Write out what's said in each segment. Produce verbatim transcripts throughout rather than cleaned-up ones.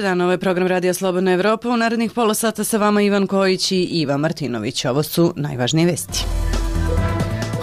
dan, ovo je program Radija Slobodna Evropa. U narednih pola sata sa vama Ivan Kojić i Iva Martinović. Ovo su najvažnije vesti.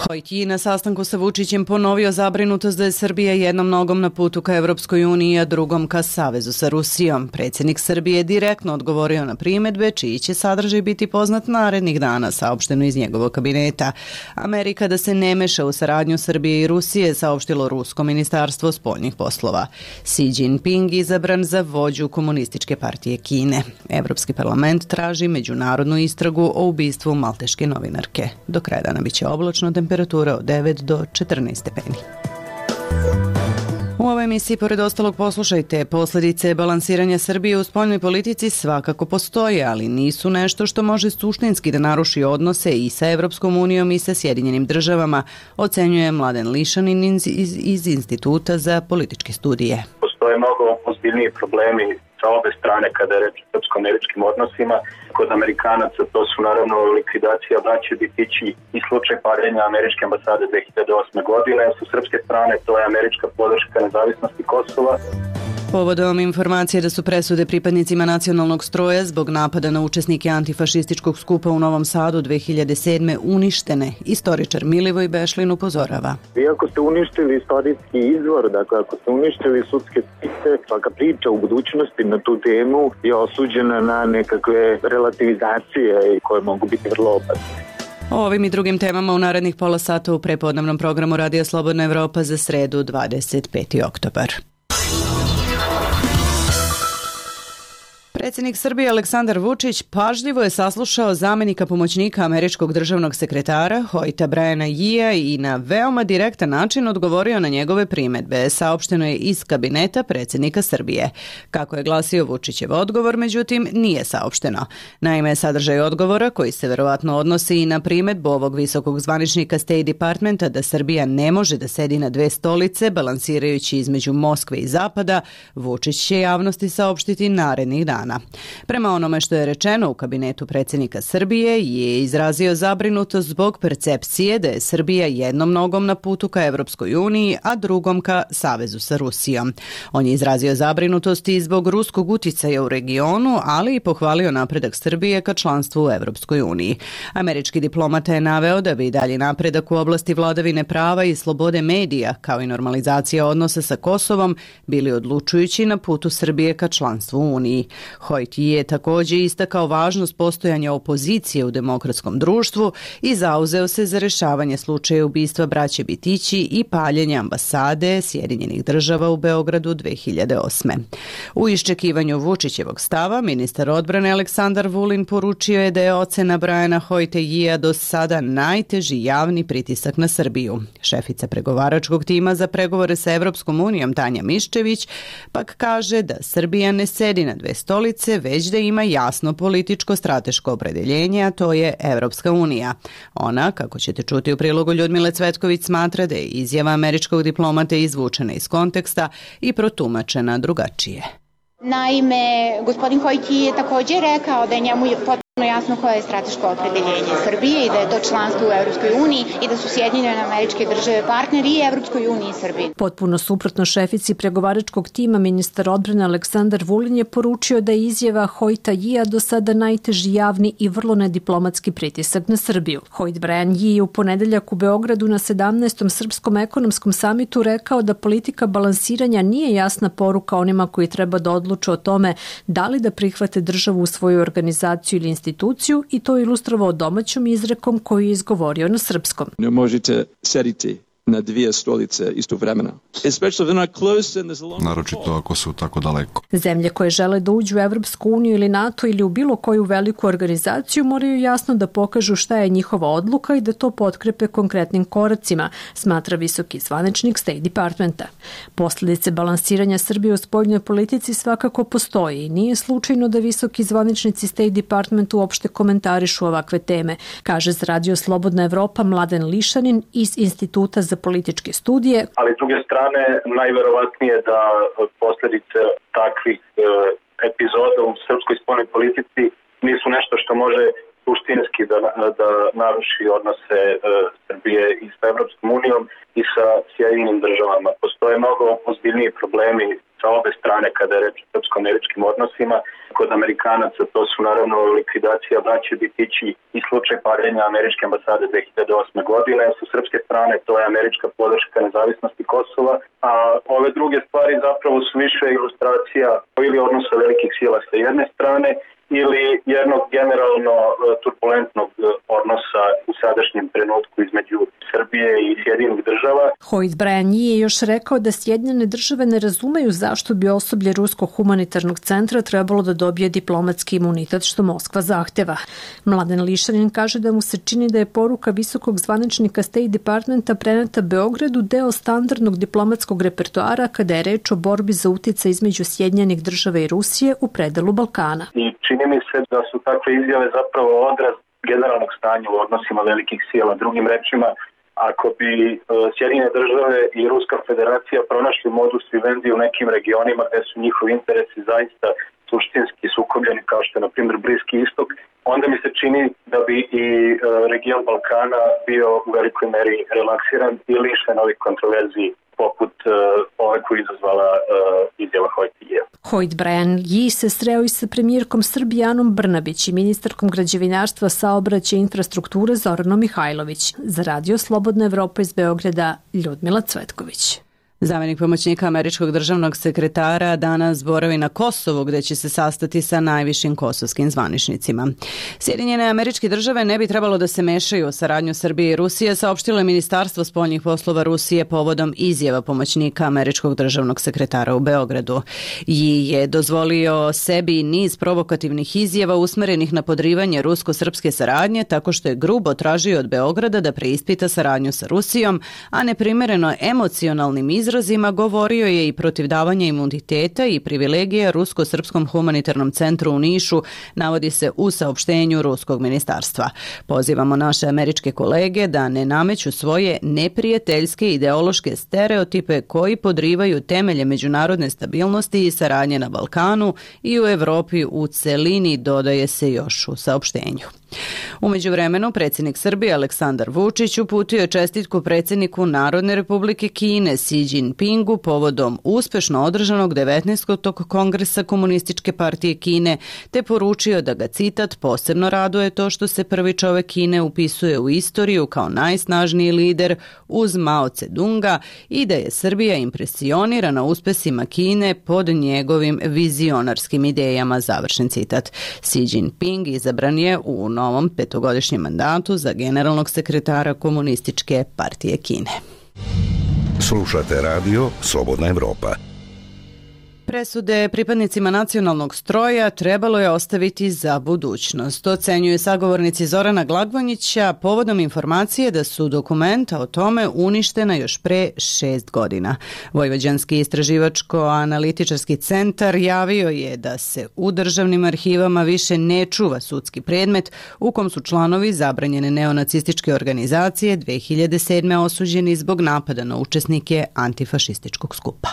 Hojt Ji na sastanku sa Vučićem ponovio zabrinutost da je Srbija jednom nogom na putu ka Evropskoj uniji, a drugom ka savezu sa Rusijom. Predsjednik Srbije je direktno odgovorio na primjedbe, čiji će sadržaj biti poznat narednih dana, saopšteno iz njegovog kabineta. Amerika da se ne meša u saradnju Srbije i Rusije, saopštilo Rusko ministarstvo spoljnih poslova. Xi Jinping izabran za vođu Komunističke partije Kine. Evropski parlament traži međunarodnu istragu o ubistvu malteške novinarke. Do kraja dana biće oblačno, temperatura od devet do četrnaest stepeni. U ovoj emisiji, pored ostalog, poslušajte, posljedice balansiranja Srbije u spoljnoj politici svakako postoje, ali nisu nešto što može suštinski da naruši odnose i sa Evropskom unijom i sa Sjedinjenim državama, ocenjuje Mladen Lišanin iz, iz, iz Instituta za političke studije. Postoje mnogo ozbiljniji problemi sa obe strane kada je reč o srpsko-američkim odnosima. Kod Amerikanaca to su naravno likvidacija braće Bitići i slučaj paljenja američke ambasade dve hiljade osme. godine. Sa srpske strane to je američka podrška nezavisnosti Kosova. Povodom informacije da su presude pripadnicima nacionalnog stroja zbog napada na učesnike antifašističkog skupa u Novom Sadu dve hiljade sedme. uništene, istoričar Milivoj Bešlin upozorava. Vi ako ste uništili istorijski izvor, dakle ako ste uništili sudske spise, svaka priča u budućnosti na tu temu je osuđena na nekakve relativizacije koje mogu biti vrlo opasne. O ovim i drugim temama u narednih pola sata u prepodnevnom programu Radija Slobodna Evropa za sredu dvadeset peti oktobar. Predsjednik Srbije Aleksandar Vučić pažljivo je saslušao zamjenika pomoćnika američkog državnog sekretara Hojta Briana Yia i na veoma direktan način odgovorio na njegove primjedbe, saopšteno je iz kabineta predsjednika Srbije. Kako je glasio Vučićev odgovor, međutim, nije saopšteno. Naime, sadržaj odgovora, koji se verovatno odnosi i na primjedbu ovog visokog zvaničnika State Departmenta da Srbija ne može da sedi na dve stolice, balansirajući između Moskve i Zapada, Vučić će javnosti saopštiti narednih dana. Prema onome što je rečeno u kabinetu predsjednika Srbije, je izrazio zabrinutost zbog percepcije da je Srbija jednom nogom na putu ka Evropskoj uniji, a drugom ka savezu sa Rusijom. On je izrazio zabrinutost i zbog ruskog uticaja u regionu, ali i pohvalio napredak Srbije ka članstvu u Evropskoj uniji. Američki diplomata je naveo da bi dalji napredak u oblasti vladavine prava i slobode medija, kao i normalizacija odnosa sa Kosovom, bili odlučujući na putu Srbije ka članstvu u Uniji. Hojt je također istakao važnost postojanja opozicije u demokratskom društvu i zauzeo se za rješavanje slučaja ubistva braće Bitići i paljenja ambasade Sjedinjenih država u Beogradu dve hiljade osme. U iščekivanju Vučićevog stava, ministar odbrane Aleksandar Vulin poručio je da je ocena Briana Hojta Yia do sada najteži javni pritisak na Srbiju. Šefica pregovaračkog tima za pregovore sa Evropskom unijom Tanja Miščević pak kaže da Srbija ne sedi na dve stolice, već da ima jasno političko strateško opredeljenje, a to je Evropska unija. Ona, kako ćete čuti u prilogu Ljudmile Cvetković, smatra da je izjava američkog diplomate izvučena iz konteksta i protumačena drugačije. Naime, gospodin Hojt je također rekao da je njemu potpuno jasno koje je strateško opredeljenje Srbije i da je to članstvo u Evropskoj uniji i da su Sjedinjene Američke Države partneri i Evropskoj uniji i Srbiji. Potpuno suprotno šefici pregovaračkog tima, ministar odbrane Aleksandar Vulin je poručio da je izjava Hojta Yia do sada najteži javni i vrlo nediplomatski pritisak na Srbiju. Hojt Brian Yi je u ponedeljak u Beogradu na sedamnaestom Srpskom ekonomskom samitu rekao da politika balansiranja nije jasna poruka onima koji treba da odluče o tome da li da prihvate državu u svoju organizaciju ili instituciju i to je ilustrovao domaćom izrekom koju je izgovorio na srpskom. Ne možete sediti na dvije stolice istovremeno. Naročito ako su tako daleko. Zemlje koje žele da uđu u Evropsku uniju ili NATO ili u bilo koju veliku organizaciju moraju jasno da pokažu šta je njihova odluka i da to potkrepe konkretnim koracima, smatra visoki zvaničnik State Departmenta. Posljedice balansiranja Srbije u spoljnoj politici svakako postoji i nije slučajno da visoki zvaničnici State Departmentu uopšte komentarišu ovakve teme, kaže za Radio Slobodna Evropa Mladen Lišanin iz Instituta za političke studije. Ali s druge strane, najverovatnije da posljedice takvih e, epizoda u srpskoj spoljnoj politici nisu nešto što može suštinski da, da naruši odnose e, Srbije i sa Evropskom unijom i sa Sjedinjenim državama. Postoje mnogo ozbiljniji problemi sa sa obe strane kada je reč o srpsko-američkim odnosima. Kod Amerikanaca to su naravno likvidacija braće Bitići i slučaj paljenja američke ambasade dve hiljade osme. godine. Sa srpske strane to je američka podrška nezavisnosti Kosova, a ove druge stvari zapravo su više ilustracija ili odnosa velikih sila sa jedne strane ili jednog generalno turbulentnog odnosa u sadašnjem trenutku između Srbije i Sjedinjenih država. Hoyt Bryan Yee je još rekao da Sjedinjene države ne razumeju zašto bi osoblje Ruskog humanitarnog centra trebalo da dobije diplomatski imunitet što Moskva zahteva. Mladen Lišanin kaže da mu se čini da je poruka visokog zvaničnika State Departmenta preneta Beogradu deo standardnog diplomatskog repertoara kada je reč o borbi za uticaj između Sjedinjenih država i Rusije u predelu Balkana. I čini mi se da su takve izjave zapravo odraz generalnog stanja u odnosima velikih sila. Drugim rečima, ako bi Sjedinjene države i Ruska federacija pronašli modus vivendi u nekim regionima gde su njihovi interesi zaista suštinski sukobljeni, kao što je na primjer Bliski istok, onda mi se čini da bi i region Balkana bio u velikoj meri relaksiran i lišen ovih kontroverziji poput uh, ove koju izazvala uh, izjava Hoyta Yee. Hoyt Bryan Yee se sreo i sa premijerkom Srbije Anom Brnabić i ministarkom građevinarstva, saobraćaja i infrastrukture Zoranom Mihajlović. Za Radio Slobodna Evropa iz Beograda, Ljudmila Cvetković. Zamenik pomoćnika američkog državnog sekretara danas boravi na Kosovu gde će se sastati sa najvišim kosovskim zvaničnicima. Sjedinjene američke države ne bi trebalo da se mešaju u saradnju Srbije i Rusije, saopštilo je Ministarstvo spoljnih poslova Rusije povodom izjava pomoćnika američkog državnog sekretara u Beogradu. I je dozvolio sebi niz provokativnih izjava usmerenih na podrivanje rusko-srpske saradnje tako što je grubo tražio od Beograda da preispita saradnju sa Rusijom, a neprimereno emocionalnim izjavama izrazima govorio je i protiv davanja imuniteta i privilegija Rusko-srpskom humanitarnom centru u Nišu, navodi se u saopštenju Ruskog ministarstva. Pozivamo naše američke kolege da ne nameću svoje neprijateljske ideološke stereotipe koji podrivaju temelje međunarodne stabilnosti i saradnje na Balkanu i u Evropi u celini, dodaje se još u saopštenju. U međuvremenu, predsjednik Srbije Aleksandar Vučić uputio je čestitku predsjedniku Narodne republike Kine Xi Jinpingu povodom uspešno održanog devetnaestog kongresa Komunističke partije Kine, te poručio da ga, citat, posebno raduje to što se prvi čovek Kine upisuje u istoriju kao najsnažniji lider uz Mao Tse-dunga i da je Srbija impresionirana uspesima Kine pod njegovim vizionarskim idejama, završen citat. Xi Jinping izabran je u novom petogodišnjem mandatu za generalnog sekretara Komunističke partije Kine. Slušate radio Slobodna Evropa. Presude pripadnicima nacionalnog stroja trebalo je ostaviti za budućnost. Ocenjuje sagovornici Zorana Glagvonjića povodom informacije da su dokumenta o tome uništena još pre šest godina. Vojvođanski istraživačko-analitičarski centar javio je da se u državnim arhivama više ne čuva sudski predmet u kom su članovi zabranjene neonacističke organizacije dve hiljade sedme osuđeni zbog napada na učesnike antifašističkog skupa.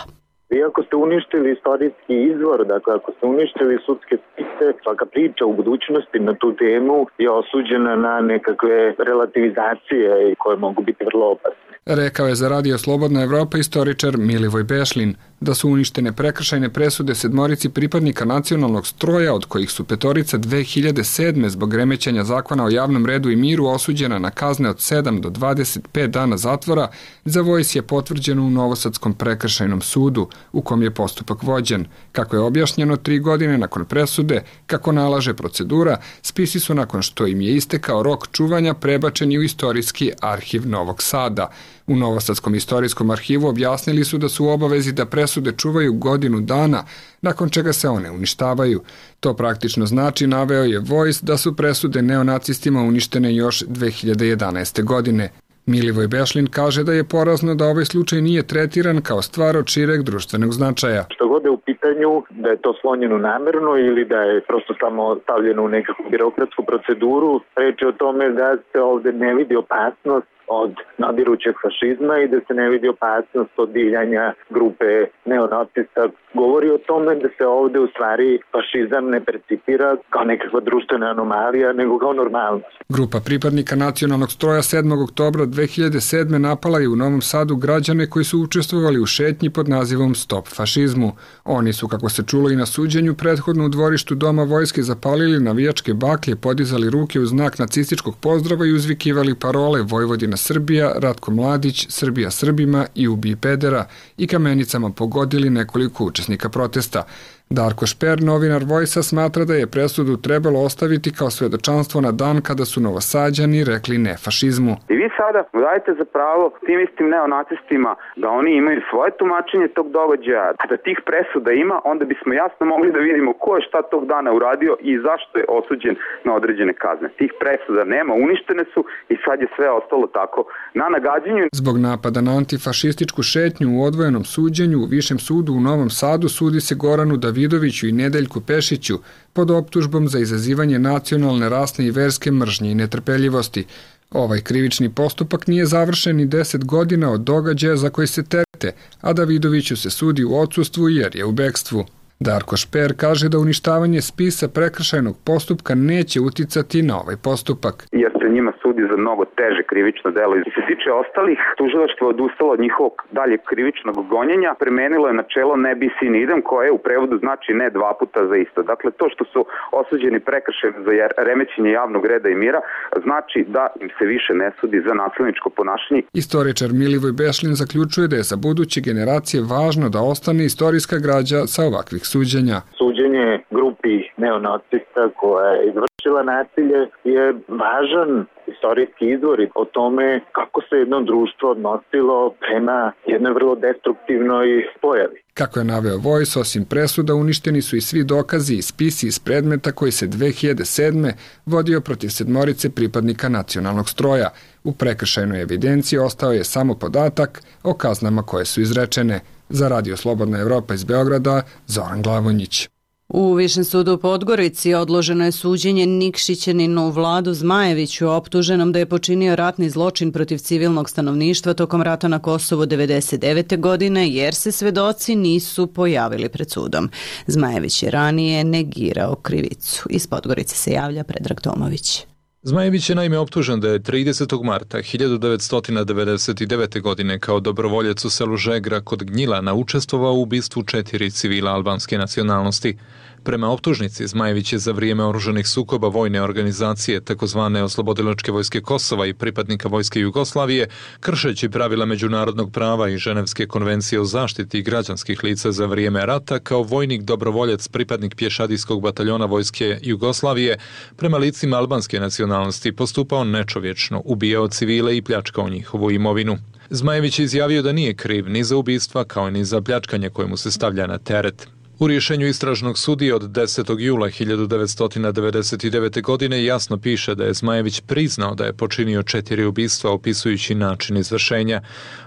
Vi ako ste uništili istorijski izvor, dakle ako ste uništili sudske spise, svaka priča u budućnosti na tu temu je osuđena na nekakve relativizacije koje mogu biti vrlo opasne. Rekao je za Radio Slobodna Evropa istoričar Milivoj Bešlin da su uništene prekršajne presude sedmorici pripadnika nacionalnog stroja, od kojih su petorica dve hiljade sedme zbog remećanja zakona o javnom redu i miru osuđena na kazne od sedam do dvadeset pet dana zatvora, za Vojs je potvrđeno u Novosadskom prekršajnom sudu, u kom je postupak vođen. Kako je objašnjeno, tri godine nakon presude, kako nalaže procedura, spisi su nakon što im je istekao rok čuvanja prebačeni u istorijski arhiv Novog Sada. U Novosadskom istorijskom arhivu objasnili su da su u obavezi da presude čuvaju godinu dana, nakon čega se one uništavaju. To praktično znači, naveo je Vojs, da su presude neonacistima uništene još dve hiljade jedanaeste. godine. Milivoj Bešlin kaže da je porazno da ovaj slučaj nije tretiran kao stvar od šireg društvenog značaja. Što god je u pitanju, da je to slonjeno namerno ili da je prosto samo stavljeno u nekakvu birokratsku proceduru, reč je o tome da se ovde ne vidi opasnost od nadirućeg fašizma i da se ne vidi opasnost od divljanja grupe neonacista. Govori o tome da se ovde u stvari fašizam ne percipira kao nekakva društvena anomalija, nego kao normalnost. Grupa pripadnika nacionalnog stroja sedmog oktobra dve hiljade sedme napala je u Novom Sadu građane koji su učestvovali u šetnji pod nazivom Stop fašizmu. Oni su, kako se čulo i na suđenju, prethodno u dvorištu Doma vojske zapalili navijačke baklje, podizali ruke u znak nacističkog pozdrava i uzvikivali parole Vojvodina Srbija, Ratko Mladić, Srbija Srbima i Ubij pedera i kamenicama pogodili nekoliko učesnika protesta. Darko Šper, novinar Vojsa, smatra da je presudu trebalo ostaviti kao svedočanstvo na dan kada su Novosađani rekli ne fašizmu. I vi sada dajete za pravo tim istim neonacistima da oni imaju svoje tumačenje tog događaja. Da tih presuda ima, onda bismo jasno mogli da vidimo ko je šta tog dana uradio i zašto je osuđen na određene kazne. Tih presuda nema, uništene su i sad je sve ostalo tako na nagađanju. Zbog napada na antifašističku šetnju u odvojenom suđenju u Višem sudu u Novom Sadu sudi se Goranu Davidoviću i Nedeljku Pešiću pod optužbom za izazivanje nacionalne, rasne i verske mržnje i netrpeljivosti. Ovaj krivični postupak nije završen ni deset godina od događaja za koji se terete, a Davidoviću se sudi u odsustvu jer je u bekstvu. Darko Šper kaže da uništavanje spisa prekršajnog postupka neće uticati na ovaj postupak. Jer se njima sudi za mnogo teže krivično delo. I se tiče ostalih, tužilaštvo je odustalo od njihovog daljeg krivičnog gonjenja, premenilo je načelo ne bis in idem, koje u prevodu znači ne dva puta za isto. Dakle, to što su osuđeni prekršajno za remećenje javnog reda i mira, znači da im se više ne sudi za nasilničko ponašanje. Istoričar Milivoj Bešlin zaključuje da je za buduće generacije važno da ostane istorijska građa sa ovakvih suđenja. Suđenje grupi neonacista koja je izvršila nasilje je važan istorijski izvor o tome kako se jedno društvo odnosilo prema jednoj vrlo destruktivnoj pojavi. Kako je naveo Vojs, osim presuda uništeni su i svi dokazi i spisi iz predmeta koji se dve hiljade sedme vodio protiv sedmorice pripadnika nacionalnog stroja. U prekršajnoj evidenciji ostao je samo podatak o kaznama koje su izrečene. Za Radio Slobodna Evropa iz Beograda, Zoran Glavonjić. U Višem sudu u Podgorici odloženo je suđenje Nikšićaninu Vladu Zmajeviću, optuženom da je počinio ratni zločin protiv civilnog stanovništva tokom rata na Kosovu devedeset devete. godine, jer se svedoci nisu pojavili pred sudom. Zmajević je ranije negirao krivicu. Iz Podgorice se javlja Predrag Tomović. Zmajević je naime optužen da je tridesetog marta hiljadu devetsto devedeset devete. godine kao dobrovoljac u selu Žegra kod Gnjilana učestvovao u ubistvu četiri civila albanske nacionalnosti. Prema optužnici, Zmajević je za vrijeme oružanih sukoba vojne organizacije takozvane Oslobodilačke vojske Kosova i pripadnika vojske Jugoslavije, kršeći pravila međunarodnog prava i Ženevske konvencije o zaštiti građanskih lica za vrijeme rata, kao vojnik dobrovoljac pripadnik pješadijskog bataljona vojske Jugoslavije, prema licima albanske nacionalnosti postupao nečovječno, ubijao civile i pljačkao njihovu imovinu. Zmajević je izjavio da nije kriv ni za ubistva kao ni za pljačkanje koje mu se stavlja na teret. U rješenju istražnog sudije od desetog jula hiljadu devetsto devedeset devete. godine jasno piše da je Zmajević priznao da je počinio četiri ubistva opisujući način izvršenja.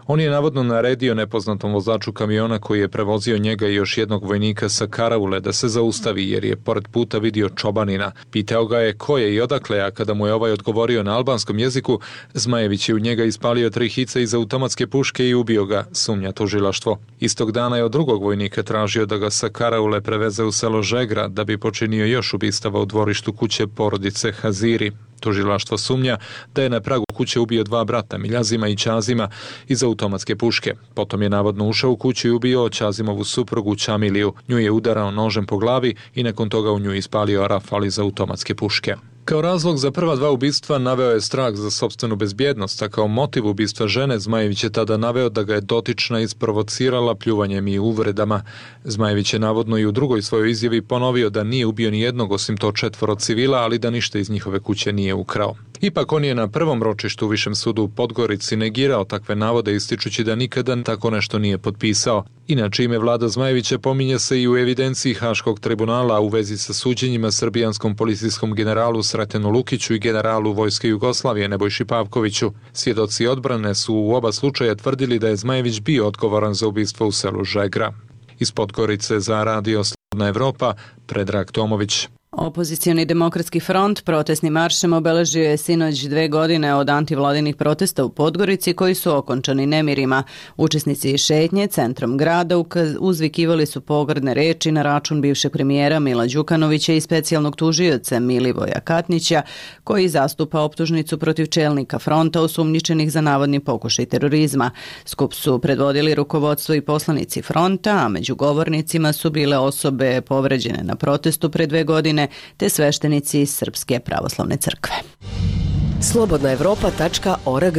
On je navodno naredio nepoznatom vozaču kamiona koji je prevozio njega i još jednog vojnika sa karaule da se zaustavi jer je pored puta vidio čobanina. Pitao ga je ko je i odakle, a kada mu je ovaj odgovorio na albanskom jeziku, Zmajević je u njega ispalio tri hice iz automatske puške i ubio ga, sumnja tužilaštvo. Istog dana je od drugog vojnika tražio da ga sa karaule preveze u selo Žegra da bi počinio još ubistava u dvorištu kuće porodice Haziri. Tužilaštvo sumnja da je na pragu kuće ubio dva brata, Miljazima i Ćazima, iz automatske puške. Potom je navodno ušao u kuću i ubio Ćazimovu suprugu Ćamiliju. Nju je udarao nožem po glavi i nakon toga u nju ispalio rafal iz automatske puške. Kao razlog za prva dva ubistva naveo je strah za sopstvenu bezbjednost, a kao motiv ubistva žene Zmajević je tada naveo da ga je dotična isprovocirala pljuvanjem i uvredama. Zmajević je navodno i u drugoj svojoj izjavi ponovio da nije ubio ni jednog osim to četvoro civila, ali da ništa iz njihove kuće nije ukrao. Ipak on je na prvom ročištu u Višem sudu u Podgorici negirao takve navode ističući da nikada tako nešto nije potpisao. Inače, ime Vlada Zmajevića pominje se i u evidenciji Haškog tribunala u vezi sa suđenjima srbijanskom policijskom generalu Sretenu Lukiću i generalu Vojske Jugoslavije Nebojši Pavkoviću. Svjedoci odbrane su u oba slučaja tvrdili da je Zmajević bio odgovoran za ubistvo u selu Žegra. Iz Podgorice za Radio Slobodna Evropa, Predrag Tomović. Opozicioni demokratski front protestnim maršem obeležio je sinoć dve godine od antivladinih protesta u Podgorici koji su okončani nemirima. Učesnici šetnje centrom grada uzvikivali su pogrdne reči na račun bivšeg premijera Mila Đukanovića i specijalnog tužioca Milivoja Katnića, koji zastupa optužnicu protiv čelnika fronta osumnjičenih za navodni pokušaj terorizma. Skup su predvodili rukovodstvo i poslanici fronta, a među govornicima su bile osobe povređene na protestu pre dve godine te sveštenici iz Srpske pravoslavne crkve. slobodna evropa tačka org.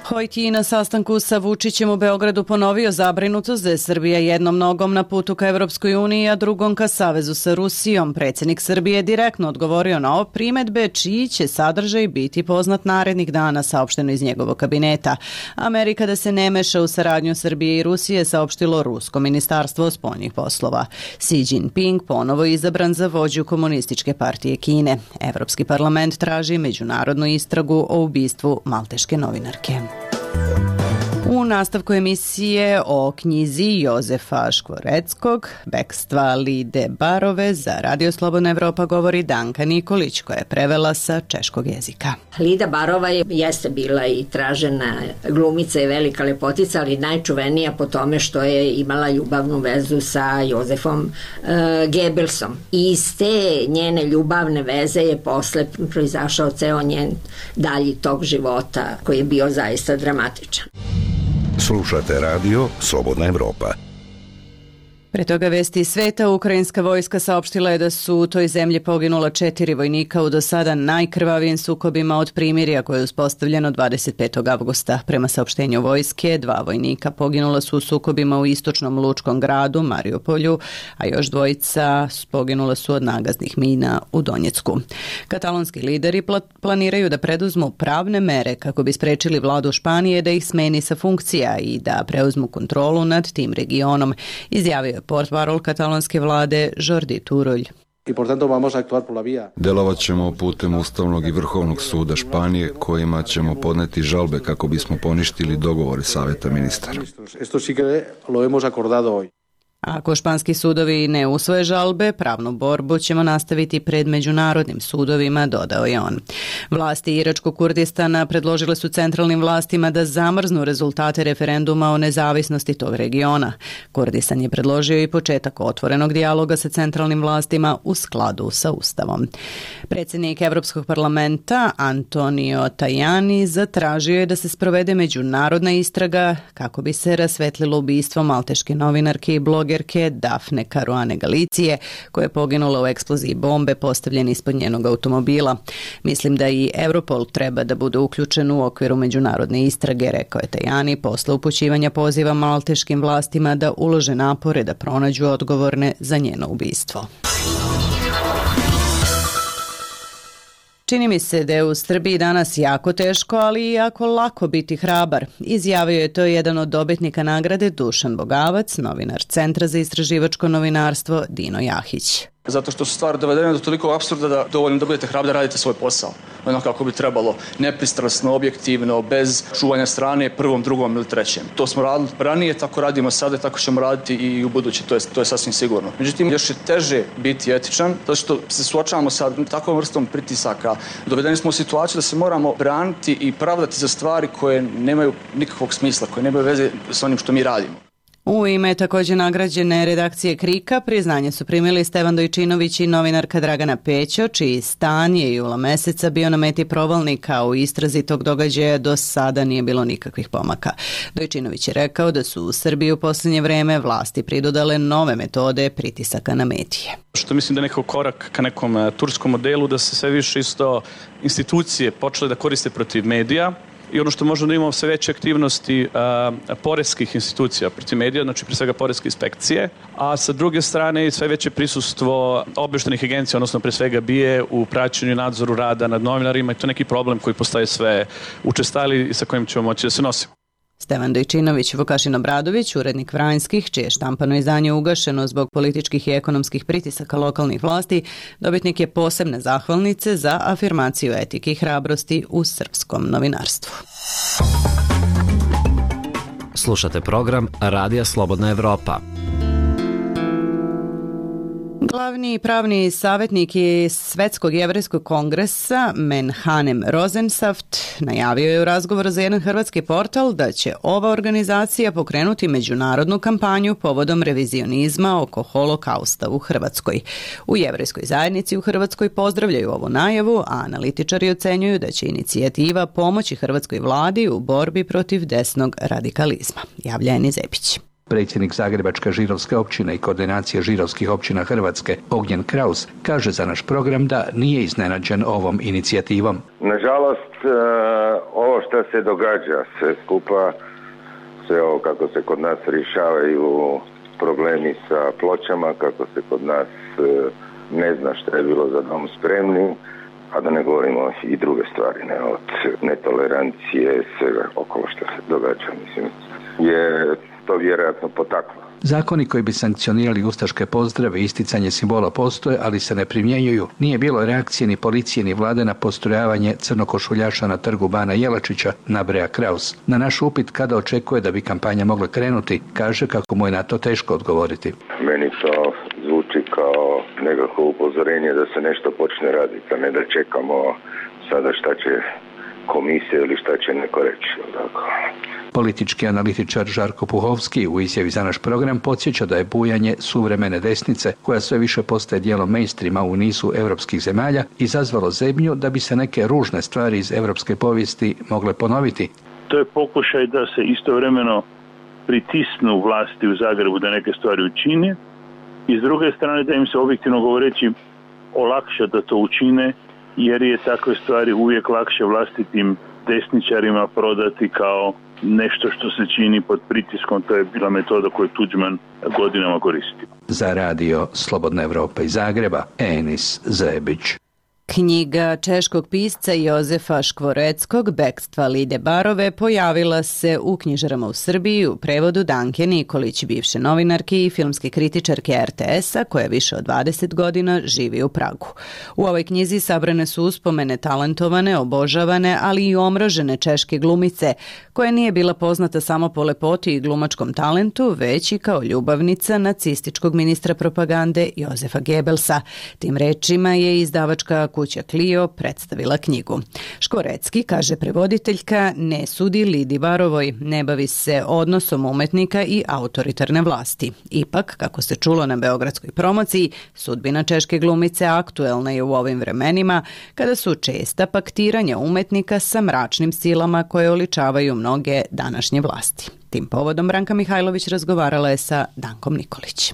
Hojt je na sastanku sa Vučićem u Beogradu ponovio zabrinutost da je Srbija jednom nogom na putu ka Evropskoj uniji, a drugom ka savezu sa Rusijom. Predsjednik Srbije je direktno odgovorio na ove primedbe, čiji će sadržaj biti poznat narednih dana, saopšteno iz njegovog kabineta. Amerika da se ne meša u saradnju Srbije i Rusije, saopštilo Rusko ministarstvo spoljnih poslova. Xi Jinping ponovo izabran za vođu Komunističke partije Kine. Evropski parlament traži međunarodnu istragu o ubistvu malteške novinarke. U nastavku emisije o knjizi Jozefa Škvoreckog, Bekstva Lide Barove, za Radio Slobodna Evropa govori Danka Nikolić, koja je prevela sa češkog jezika. Lida Barova je, jeste bila i tražena glumica i velika lepotica, ali najčuvenija po tome što je imala ljubavnu vezu sa Jozefom uh, Gebelsom. I iz te njene ljubavne veze je posle proizašao ceo njen dalji tok života, koji je bio zaista dramatičan. Slušate radio Slobodna Evropa. Pre toga vesti iz sveta, ukrajinska vojska saopštila je da su u toj zemlji poginula četiri vojnika u do sada najkrvavijim sukobima od primirja koje je uspostavljeno dvadeset petog avgusta. Prema saopštenju vojske, dva vojnika poginula su u sukobima u istočnom lučkom gradu Mariupolju, a još dvojica poginula su od nagaznih mina u Donjecku. Katalonski lideri planiraju da preduzmu pravne mere kako bi sprečili vladu Španije da ih smeni sa funkcija i da preuzmu kontrolu nad tim regionom, izjavio portparol katalonske vlade Jordi Turull. Delovat ćemo putem Ustavnog i Vrhovnog suda Španije, kojima ćemo podneti žalbe kako bismo poništili dogovore Saveta ministara. Ako španski sudovi ne usvoje žalbe, pravnu borbu ćemo nastaviti pred međunarodnim sudovima, dodao je on. Vlasti Iračkog Kurdistana predložile su centralnim vlastima da zamrznu rezultate referenduma o nezavisnosti tog regiona. Kurdistan je predložio i početak otvorenog dijaloga sa centralnim vlastima u skladu sa Ustavom. Predsjednik Evropskog parlamenta Antonio Tajani zatražio je da se sprovede međunarodna istraga kako bi se rasvetlilo ubistvo malteške novinarke i blogerke Dafne Caruane Galicije, koja je poginula u eksploziji bombe postavljene ispod njenog automobila. Mislim da i Europol treba da bude uključen u okviru međunarodne istrage, rekao je Tajani posle upućivanja poziva malteškim vlastima da ulože napore da pronađu odgovorne za njeno ubistvo. Čini mi se da je u Srbiji danas jako teško, ali i jako lako biti hrabar. Izjavio je to jedan od dobitnika nagrade Dušan Bogavac, novinar Centra za istraživačko novinarstvo Dino Jahić. Zato što su stvari dovedene do toliko apsurda da dovoljno da budete hrabri da radite svoj posao. Ono kako bi trebalo, nepristrasno, objektivno, bez čuvanja strane prvom, drugom ili trećem. To smo radili ranije, tako radimo sada, tako ćemo raditi i u buduće, to je, to je sasvim sigurno. Međutim, još je teže biti etičan, zato što se suočavamo sa takvom vrstom pritisaka. Dovedeni smo u situaciju da se moramo braniti i pravdati za stvari koje nemaju nikakvog smisla, koje nemaju veze s onim što mi radimo. U ime također nagrađene redakcije Krika priznanje su primili Stevan Dojčinović i novinarka Dragana Pećo, čiji stan je jula meseca bio na meti provalnika. U istrazi tog događaja do sada nije bilo nikakvih pomaka. Dojčinović je rekao da su u Srbiji u posljednje vreme vlasti pridodale nove metode pritisaka na medije. Što mislim da je nekako korak ka nekom turskom modelu, da se sve više isto institucije počele da koriste protiv medija. I ono što možemo da imamo sve veće aktivnosti a, poreskih institucija protiv medija, znači pre svega poreske inspekcije, a sa druge strane i sve veće prisustvo obaveštajnih agencija, odnosno pre svega B I A u praćenju i nadzoru rada nad novinarima i to je neki problem koji postaje sve učestali i sa kojim ćemo moći da se nosimo. Stevan Dojčinović, Vukašin Obradović, urednik Vranjskih, čije štampano izdanje ugašeno zbog političkih i ekonomskih pritisaka lokalnih vlasti, dobitnik je posebne zahvalnice za afirmaciju etike i hrabrosti u srpskom novinarstvu. Slušate program Radija Slobodna Evropa. Glavni pravni savjetnik Svetskog jevrejskog kongresa Menachem Rosensaft najavio je u razgovoru za jedan hrvatski portal da će ova organizacija pokrenuti međunarodnu kampanju povodom revizionizma oko holokausta u Hrvatskoj. U jevrejskoj zajednici u Hrvatskoj pozdravljaju ovu najavu, a analitičari ocenjuju da će inicijativa pomoći hrvatskoj vladi u borbi protiv desnog radikalizma. Javlja Eni Zepić. Predsjednik Zagrebačke židovske općine i koordinacije židovskih općina Hrvatske, Ognjen Kraus, kaže za naš program da nije iznenađen ovom inicijativom. Nažalost, ovo što se događa sve skupa, sve ovo kako se kod nas rješavaju problemi sa pločama, kako se kod nas ne zna što je bilo za dom spremni, a da ne govorimo i druge stvari, ne, od netolerancije, svega okolo što se događa, mislim, je to vjerojatno potaklo. Zakoni koji bi sankcionirali ustaške pozdrave i isticanje simbola postoje, ali se ne primjenjuju. Nije bilo reakcije ni policije ni vlade na postrojavanje crnokošuljaša na trgu Bana Jelačića, nabraja Kraus. Na naš upit kada očekuje da bi kampanja mogla krenuti, kaže kako mu je na to teško odgovoriti. Meni to zvuči kao nekako upozorenje da se nešto počne raditi, a ne da čekamo sada šta će komisija ili šta će neko reći. Tako. Politički analitičar Žarko Puhovski u izjavi za naš program podsjeća da je bujanje suvremene desnice, koja sve više postaje dijelom mainstreama u nizu europskih zemalja, izazvalo zebnju da bi se neke ružne stvari iz europske povijesti mogle ponoviti. To je pokušaj da se istovremeno pritisnu vlasti u Zagrebu da neke stvari učine i s druge strane da im se objektivno govoreći olakša da to učine, jer je takve stvari uvijek lakše vlastitim desničarima prodati kao nešto što se čini pod pritiskom. To je bila metoda koju Tuđman godinama koristi. Za radio Slobodna Evropa iz Zagreba, Enis Zebić. Knjiga češkog pisca Jozefa Škvoreckog Bekstva Lide Barove pojavila se u knjižarama u Srbiji u prevodu Danke Nikolić, bivše novinarke i filmske kritičarke er te es-a koja više od dvadeset godina živi u Pragu. U ovoj knjizi sabrane su uspomene talentovane, obožavane, ali i omražene češke glumice, koja nije bila poznata samo po lepoti i glumačkom talentu, već i kao ljubavnica nacističkog ministra propagande Jozefa Gebelsa. Tim rečima je izdavačka kuća Clio predstavila knjigu. Škvorecki, kaže prevoditeljka, ne sudi Lidi Barovoj, ne bavi se odnosom umetnika i autoritarne vlasti. Ipak, kako se čulo na beogradskoj promociji, sudbina češke glumice aktuelna je u ovim vremenima, kada su česta paktiranja umetnika sa mračnim silama koje oličavaju mnoge današnje vlasti. Tim povodom Branka Mihajlović razgovarala je sa Dankom Nikolić.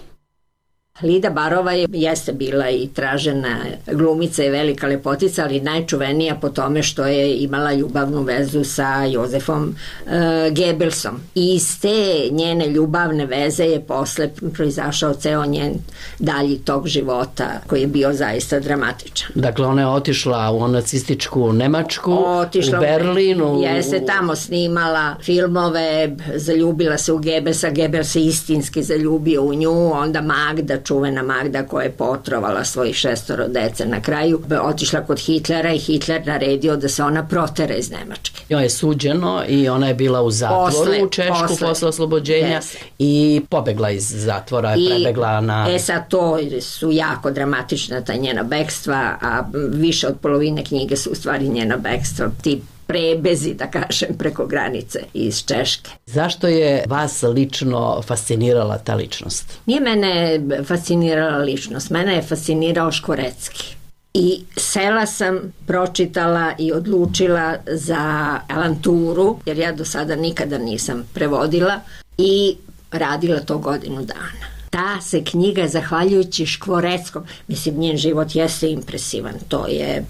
Lida Barova je, jeste bila i tražena glumica i velika lepotica, ali najčuvenija po tome što je imala ljubavnu vezu sa Jozefom e, Gebelsom. I iz te njene ljubavne veze je posle proizašao ceo njen dalji tok života koji je bio zaista dramatičan. Dakle, ona je otišla u nacističku Nemačku, otišla u Berlinu. Jeste tamo snimala filmove, zaljubila se u Gebelsa, Gebels se istinski zaljubio u nju, onda Magda, čuvena Magda koja je potrovala svojih šestoro dece na kraju, otišla kod Hitlera i Hitler naredio da se ona protera iz Nemačke. Joj je suđeno i ona je bila u zatvoru posle, u Češku posle, posle oslobođenja yes. i pobegla iz zatvora, I, prebegla na... E sad to su jako dramatična ta njena bekstva, a više od polovine knjige su u stvari njena bekstva, ti prebezi, da kažem, preko granice iz Češke. Zašto je vas lično fascinirala ta ličnost? Nije mene fascinirala ličnost, mene je fascinirao Škvorecki. I sela sam, pročitala i odlučila za alanturu, jer ja do sada nikada nisam prevodila i radila to godinu dana. Ta se knjiga, zahvaljujući Škvoreckom, mislim, njen život jeste impresivan, to je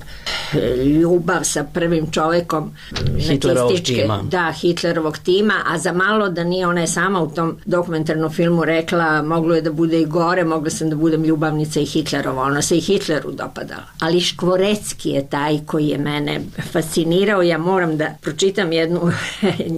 ljubav sa prvim čovekom Hitlerovog tima. Da, Hitlerovog tima, a za malo da nije ona je sama u tom dokumentarnom filmu rekla, moglo je da bude i gore, mogla sam da budem ljubavnica i Hitlerova, ona se i Hitleru dopadala. Ali Škvorecki je taj koji je mene fascinirao, ja moram da pročitam jednu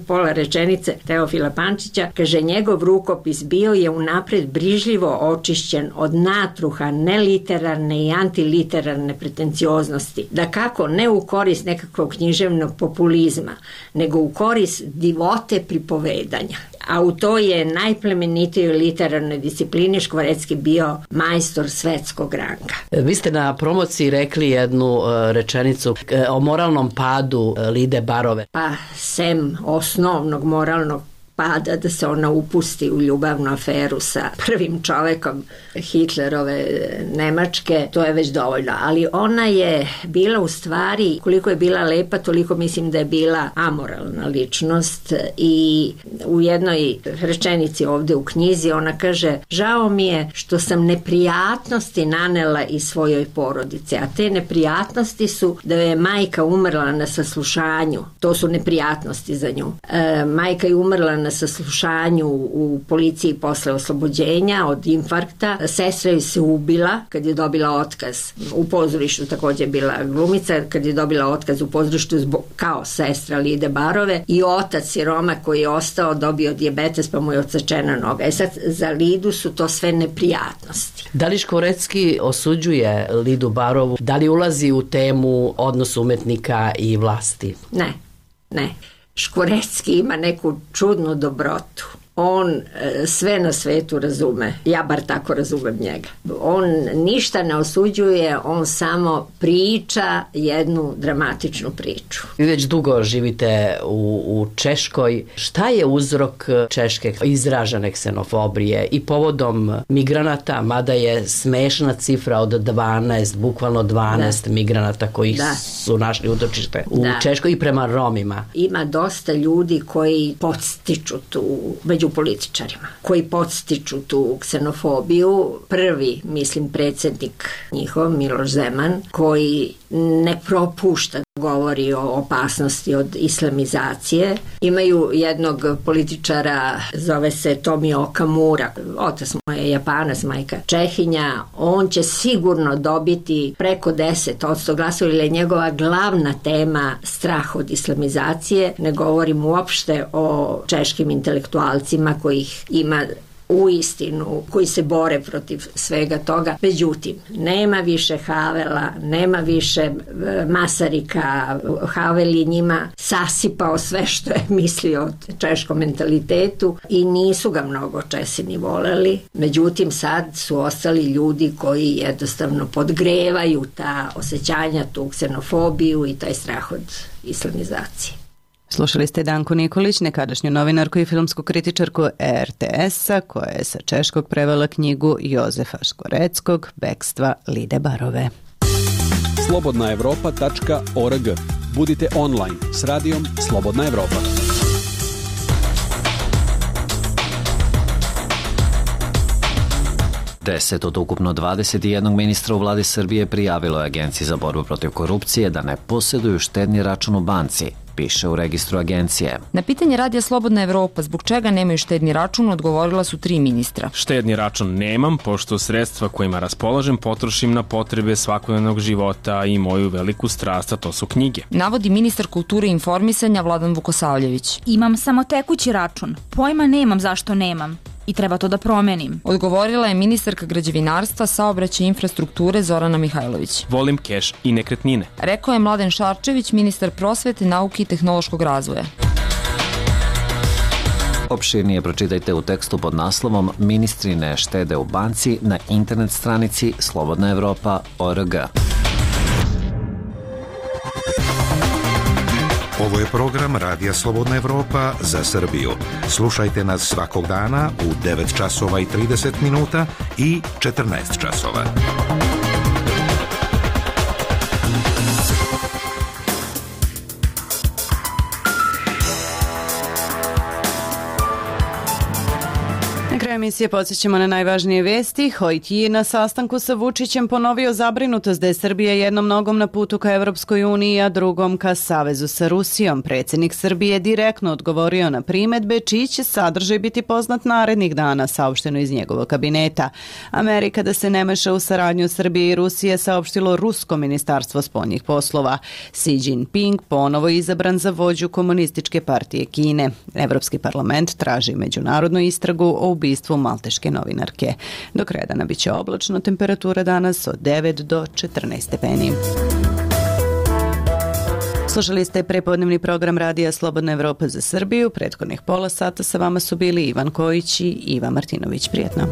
pola rečenice Teofila Pančića, kaže, njegov rukopis bio je unapred brižljivo očišćen od natruha neliterarne i antiliterarne pretencioznosti, da kako ne u korist nekakvog književnog populizma, nego u korist divote pripovedanja. a u to je najplemenitijoj literarnoj disciplini Škvorecki bio majstor svetskog ranga. Vi ste na promociji rekli jednu rečenicu o moralnom padu Lide Barove. Pa, sem osnovnog moralnog pada da se ona upusti u ljubavnu aferu sa prvim čovekom Hitlerove Nemačke, to je već dovoljno. Ali ona je bila u stvari, koliko je bila lepa, toliko mislim da je bila amoralna ličnost i u jednoj rečenici ovde u knjizi ona kaže: žao mi je što sam neprijatnosti nanela i svojoj porodici, a te neprijatnosti su da je majka umrla na saslušanju, to su neprijatnosti za nju. E, majka je umrla na saslušanju u policiji posle oslobođenja od infarkta. Sestra je se ubila kad je dobila otkaz. U pozorištu takođe je bila glumica, kad je dobila otkaz u pozorištu zbog, kao sestra Lide Barove, i otac siroma koji je ostao dobio dijabetes pa mu je odsečena noga. E sad, za Lidu su to sve neprijatnosti. Da li Škvorecki osuđuje Lidu Barovu? Da li ulazi u temu odnos umetnika i vlasti? Ne, ne. Škvorecki ima neku čudnu dobrotu. On sve na svetu razume. Ja bar tako razumem njega. On ništa ne osuđuje, on samo priča jednu dramatičnu priču. Vi već dugo živite u, u Češkoj. Šta je uzrok češke izražene ksenofobije i povodom migranata, mada je smešna cifra od dvanaest, bukvalno dvanaest da. migranata koji da. su našli utočište u da. Češkoj i prema Romima? Ima dosta ljudi koji podstiču tu među političarima, koji podstiču tu ksenofobiju. Prvi, mislim, predsjednik njihov, Miloš Zeman, koji ne propušta govori o opasnosti od islamizacije. Imaju jednog političara, zove se Tomio Okamura, otac mu je Japanac, majka Čehinja. On će sigurno dobiti preko deset odsto glasova, ili je njegova glavna tema strah od islamizacije. Ne govorim uopšte o češkim intelektualcima kojih ima u istinu, koji se bore protiv svega toga. Međutim, nema više Havela, nema više Masarika. Havel je njima sasipao sve što je mislio o češkom mentalitetu i nisu ga mnogo Česi ni voleli. Međutim, sad su ostali ljudi koji jednostavno podgrevaju ta osjećanja, tu ksenofobiju i taj strah od islamizacije. Slušali ste Danku Nikolić, nekadašnju novinarku i filmsku kritičarku er te es-a, koja je sa češkog prevela knjigu Jozefa Škvoreckog Bekstva Lide Barove. slobodna evropa tačka org. Budite online s radijom Slobodna Evropa. deset od ukupno dvadeset jedan ministra u vladi Srbije prijavilo je Agenciji za borbu protiv korupcije da ne posjeduju štedni račun u banci, piše u registru agencije. Na pitanje Radija Slobodna Evropa zbog čega nemaju štedni račun odgovorila su tri ministra. Štedni račun nemam, pošto sredstva kojima raspolažem potrošim na potrebe svakodnevnog života i moju veliku strast, a to su knjige. Navodi ministar kulture i informisanja Vladan Vukosavljević. Imam samo tekući račun, pojma nemam zašto nemam. I treba to da promenim. Odgovorila je ministarka građevinarstva, saobraćaja i infrastrukture Zorana Mihajlović. Volim keš i nekretnine. Rekao je Mladen Šarčević, ministar prosvete, nauke i tehnološkog razvoja. Opširnije pročitajte u tekstu pod naslovom Ministri ne štede u banci na internet stranici slobodna evropa tačka org. Ovo je program Radija Slobodna Evropa za Srbiju. Slušajte nas svakog dana u devet časova i trideset minuta i četrnaest časova. Na kraju emisije podsjećamo na najvažnije vesti. Hojt je na sastanku sa Vučićem ponovio zabrinutost da je Srbija jednom nogom na putu ka Evropskoj uniji, a drugom ka savezu sa Rusijom. Predsjednik Srbije direktno odgovorio na primedbe čiji će sadržaj biti poznat narednih dana, saopšteno iz njegovog kabineta. Amerika da se ne meša u saradnju Srbije i Rusije, saopštilo Rusko ministarstvo spoljnih poslova. Xi Jinping ponovo izabran za vođu Komunističke partije Kine. Evropski parlament traži međunarodnu istragu o ubistvu malteške novinarke. Do kraja dana biće oblačno, temperatura danas od devet do četrnaest stepeni. Slušali ste prepodnevni program Radija Slobodna Evropa za Srbiju. Prethodnih pola sata sa vama su bili Ivan Kojić i Iva Martinović. Prijetno.